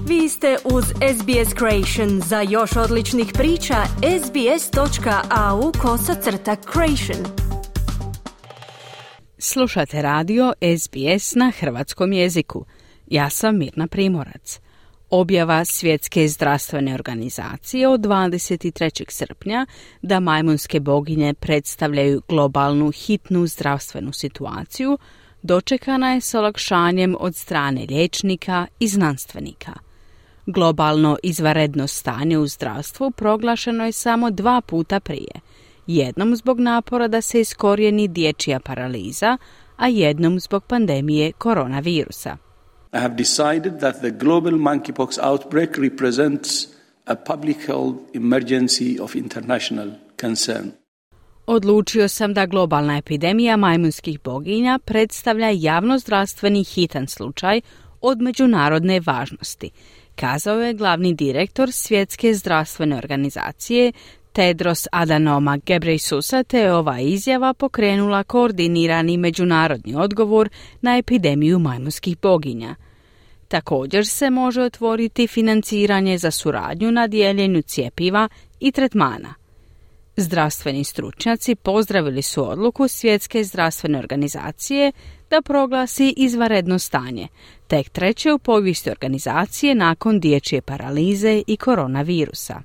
Vi ste uz SBS Creation. Za još odličnih priča, sbs.au/creation. Slušate radio SBS na hrvatskom jeziku. Ja sam Mirna Primorac. Objava Svjetske zdravstvene organizacije od 23. srpnja da majmunske boginje predstavljaju globalnu hitnu zdravstvenu situaciju dočekana je s olakšanjem od strane liječnika i znanstvenika. Globalno izvanredno stanje u zdravstvu proglašeno je samo 2 puta prije. Jednom zbog napora da se iskorijeni dječja paraliza, a jednom zbog pandemije koronavirusa. I have decided that the global monkeypox outbreak represents a public health emergency of international concern. Odlučio sam da globalna epidemija majmunskih boginja predstavlja javnozdravstveni hitan slučaj od međunarodne važnosti, kazao je glavni direktor Svjetske zdravstvene organizacije Tedros Adhanom Ghebreyesus, te je ova izjava pokrenula koordinirani međunarodni odgovor na epidemiju majmunskih boginja. Također se može otvoriti financiranje za suradnju na dijeljenju cjepiva i tretmana. Zdravstveni stručnjaci pozdravili su odluku Svjetske zdravstvene organizacije da proglasi izvanredno stanje, tek treće u povijesti organizacije nakon dječje paralize i koronavirusa.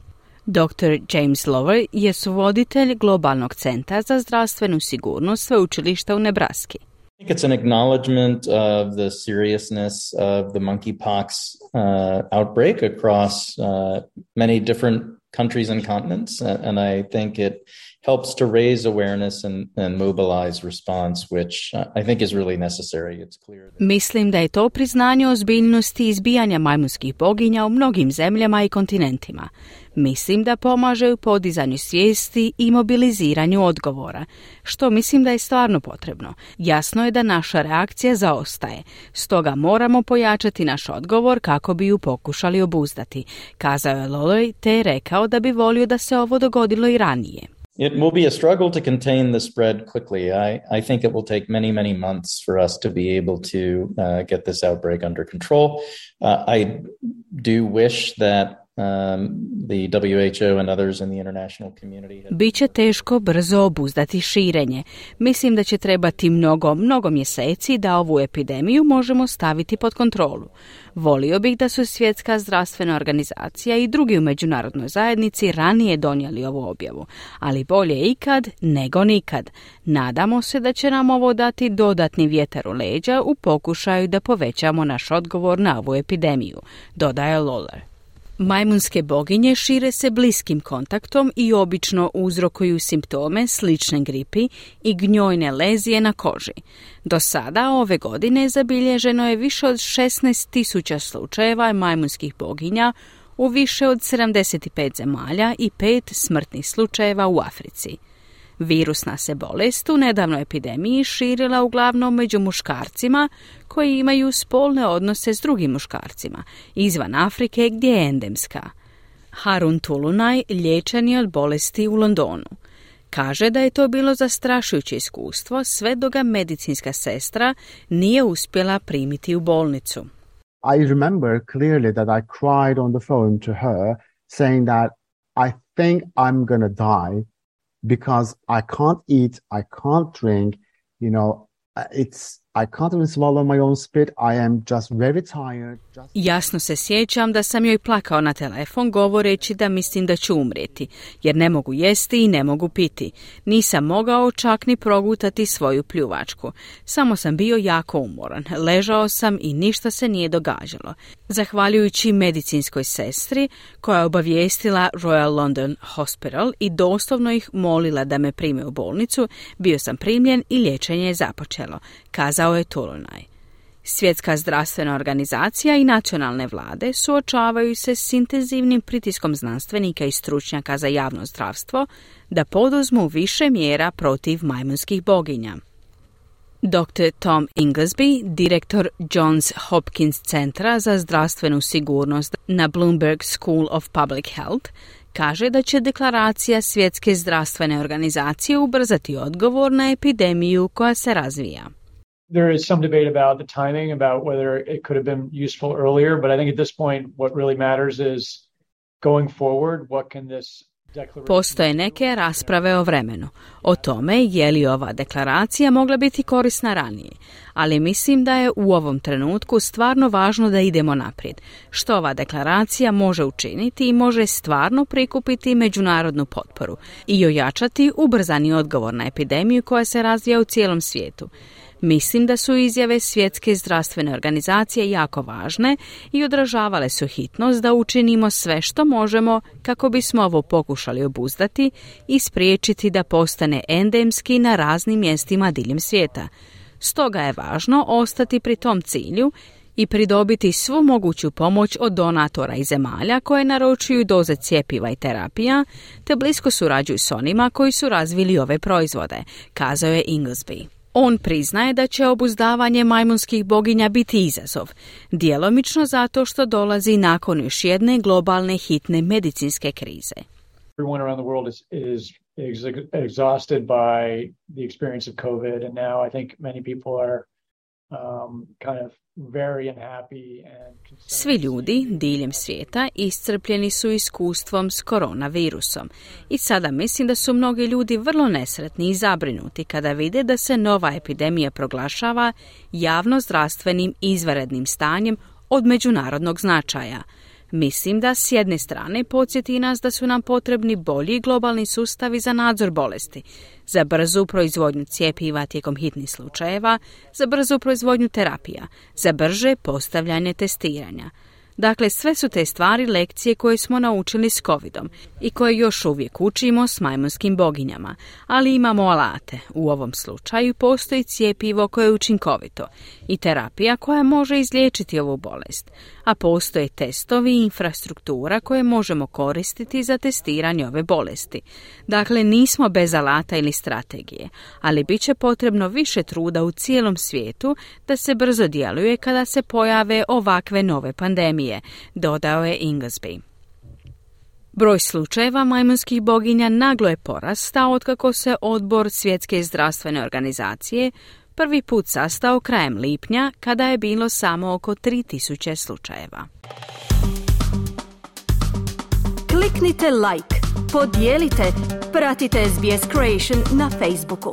Dr. James Lower je suvoditelj Globalnog centra za zdravstvenu sigurnost sveučilišta u Nebraski. I think it's an acknowledgement of the seriousness of the monkeypox outbreak across many different countries and continents, and I think it helps to raise awareness and mobilize response, which I think is really necessary. It's clear that... Mislim da je to priznanje ozbiljnosti izbijanja majmunskih boginja u mnogim zemljama i kontinentima. Mislim da pomaže u podizanju svijesti i mobiliziranju odgovora, što mislim da je stvarno potrebno. Jasno je da naša reakcija zaostaje, stoga moramo pojačati naš odgovor kako bi ju pokušali obuzdati, kazao je Loloj, te je rekao da bi volio da se ovo dogodilo i ranije. It will be a struggle to contain the spread quickly. I think it will take many months for us to be able to get this outbreak under control. I do wish that the WHO and others in the international community... Biće teško brzo obuzdati širenje. Mislim da će trebati mnogo mjeseci da ovu epidemiju možemo staviti pod kontrolu. Volio bih da su Svjetska zdravstvena organizacija i drugi u međunarodnoj zajednici ranije donijeli ovu objavu, ali bolje ikad nego nikad. Nadamo se da će nam ovo dati dodatni vjetar u leđa u pokušaju da povećamo naš odgovor na ovu epidemiju, dodaje Lawler. Majmunske boginje šire se bliskim kontaktom i obično uzrokuju simptome slične gripi i gnjojne lezije na koži. Do sada ove godine zabilježeno je više od 16.000 slučajeva majmunskih boginja u više od 75 zemalja i 5 smrtnih slučajeva u Africi. Virusna se bolest u nedavnoj epidemiji širila uglavnom među muškarcima koji imaju spolne odnose s drugim muškarcima, izvan Afrike gdje je endemska. Harun Tulunaj liječen je od bolesti u Londonu. Kaže da je to bilo zastrašujuće iskustvo sve dok ga medicinska sestra nije uspjela primiti u bolnicu. I remember clearly that I cried on the phone to her saying that I think I'm gonna die because I can't eat, I can't drink, I can't even swallow my own spit. I am just very tired. Jasno se sjećam da sam joj plakao na telefon govoreći da mislim da ću umrijeti, jer ne mogu jesti i ne mogu piti. Nisam mogao čak ni progutati svoju pljuvačku. Samo sam bio jako umoran. Ležao sam i ništa se nije događalo. Zahvaljujući medicinskoj sestri koja je obavijestila Royal London Hospital i doslovno ih molila da me prime u bolnicu, bio sam primljen i liječenje je započelo, kazao je Tulunaj. Svjetska zdravstvena organizacija i nacionalne vlade suočavaju se s intenzivnim pritiskom znanstvenika i stručnjaka za javno zdravstvo da poduzmu više mjera protiv majmunskih boginja. Dr. Tom Inglesby, direktor Johns Hopkins centra za zdravstvenu sigurnost na Bloomberg School of Public Health, kaže da će deklaracija Svjetske zdravstvene organizacije ubrzati odgovor na epidemiju koja se razvija. there is some debate about the timing, about whether it could have been useful earlier, but I think at this point what really matters is going forward, what can this declaration... Postoje neke rasprave o vremenu, o tome je li ova deklaracija mogla biti korisna ranije, ali mislim da je u ovom trenutku stvarno važno da idemo naprijed, što ova deklaracija može učiniti i može stvarno prikupiti međunarodnu potporu i ojačati ubrzani odgovor na epidemiju koja se razvija u cijelom svijetu. Mislim da su izjave Svjetske zdravstvene organizacije jako važne i odražavale su hitnost da učinimo sve što možemo kako bismo ovo pokušali obuzdati i spriječiti da postane endemski na raznim mjestima diljem svijeta. Stoga je važno ostati pri tom cilju i pridobiti svu moguću pomoć od donatora i zemalja koje naručuju doze cjepiva i terapija, te blisko surađuju s onima koji su razvili ove proizvode, kazao je Inglesby. On priznaje da će obuzdavanje majmunskih boginja biti izazov, djelomično zato što dolazi nakon još jedne globalne hitne medicinske krize. Everyone around the world is exhausted by the experience of COVID, and now I think many people are kind of very unhappy and Svi ljudi diljem svijeta iscrpljeni su iskustvom s koronavirusom i sada mislim da su mnogi ljudi vrlo nesretni i zabrinuti kada vide da se nova epidemija proglašava javno-zdravstvenim izvanrednim stanjem od međunarodnog značaja. Mislim da s jedne strane podsjeti nas da su nam potrebni bolji globalni sustavi za nadzor bolesti, za brzu proizvodnju cjepiva tijekom hitnih slučajeva, za brzu proizvodnju terapija, za brže postavljanje testiranja. Dakle, sve su te stvari lekcije koje smo naučili s covidom i koje još uvijek učimo s majmunskim boginjama, ali imamo alate. U ovom slučaju postoji cjepivo koje je učinkovito i terapija koja može izliječiti ovu bolest, a postoje testovi i infrastruktura koje možemo koristiti za testiranje ove bolesti. Dakle, nismo bez alata ili strategije, ali bit će potrebno više truda u cijelom svijetu da se brzo djeluje kada se pojave ovakve nove pandemije, dodao je Inglesby. Broj slučajeva majmunskih boginja naglo je porastao otkako se odbor Svjetske zdravstvene organizacije prvi put sastao krajem lipnja kada je bilo samo oko 3000 slučajeva. Kliknite like, podijelite, pratite SBS Creation na Facebooku.